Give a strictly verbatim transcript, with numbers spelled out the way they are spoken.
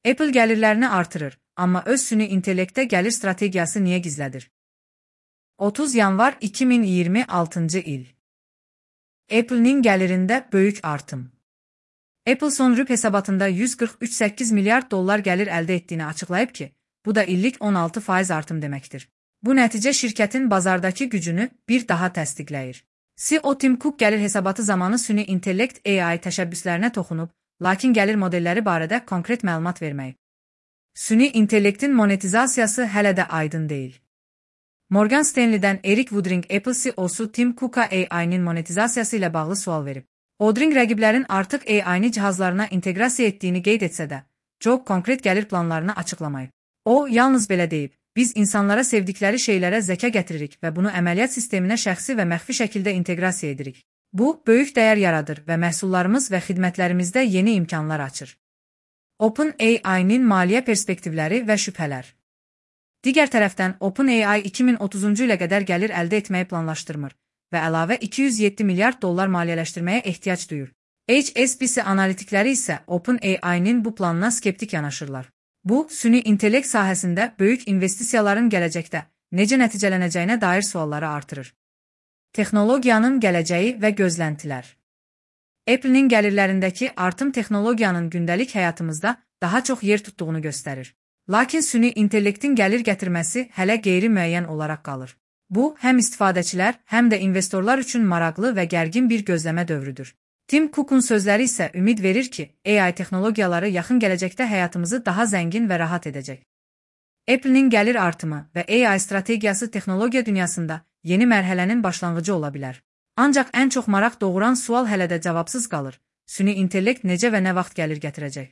Apple gəlirlərini artırır, amma öz süni intellektə gəlir strategiyası niyə gizlədir? otuz yanvar iki min iyirmi altıncı il. Apple'nin gəlirində böyük artım. Apple son rüb hesabatında yüz qırx üç nöqtə səkkiz milyard dollar gəlir əldə etdiyini açıqlayıb ki, bu da illik on altı faiz artım deməkdir. Bu nəticə şirkətin bazardakı gücünü bir daha təsdiqləyir. C E O Tim Cook gəlir hesabatı zamanı süni intellekt A I təşəbbüslərinə toxunub, lakin gəlir modelləri barədə konkret məlumat verməyib. Süni intellektin monetizasiyası hələ də aydın deyil. Morgan Stanley'dən Eric Woodring Apple C E O'su Tim Cook'a A I'nin monetizasiyası ilə bağlı sual verib. Woodring rəqiblərin artıq A I'ni cihazlarına inteqrasiya etdiyini qeyd etsə də, çox konkret gəlir planlarını açıqlamayıb. O, yalnız belə deyib, biz insanlara sevdikləri şeylərə zəka gətiririk və bunu əməliyyat sisteminə şəxsi və məxfi şəkildə inteqrasiya edirik. Bu, böyük dəyər yaradır və məhsullarımız və xidmətlərimizdə yeni imkanlar açır. OpenAI-nin maliyyə perspektivləri və şübhələr. Digər tərəfdən, OpenAI iki min otuzuncu ilə qədər gəlir əldə etməyi planlaşdırmır və əlavə iki yüz yeddi milyard dollar maliyyələşdirməyə ehtiyac duyur. H S B C analitikləri isə OpenAI-nin bu planına skeptik yanaşırlar. Bu, süni intellekt sahəsində böyük investisiyaların gələcəkdə necə nəticələnəcəyinə dair sualları artırır. Texnologiyanın gələcəyi və gözləntilər. Apple'nin gəlirlərindəki artım texnologiyanın gündəlik həyatımızda daha çox yer tutduğunu göstərir. Lakin süni intellektin gəlir gətirməsi hələ qeyri-müəyyən olaraq qalır. Bu, həm istifadəçilər, həm də investorlar üçün maraqlı və gərgin bir gözləmə dövrüdür. Tim Cook'un sözləri isə ümid verir ki, A I texnologiyaları yaxın gələcəkdə həyatımızı daha zəngin və rahat edəcək. Apple'nin gəlir artımı və A I strategiyası texnologiya dünyasında yeni mərhələnin başlanğıcı ola bilər. Ancaq ən çox maraq doğuran sual hələ də cavabsız qalır. Süni intellekt necə və nə vaxt gəlir gətirəcək?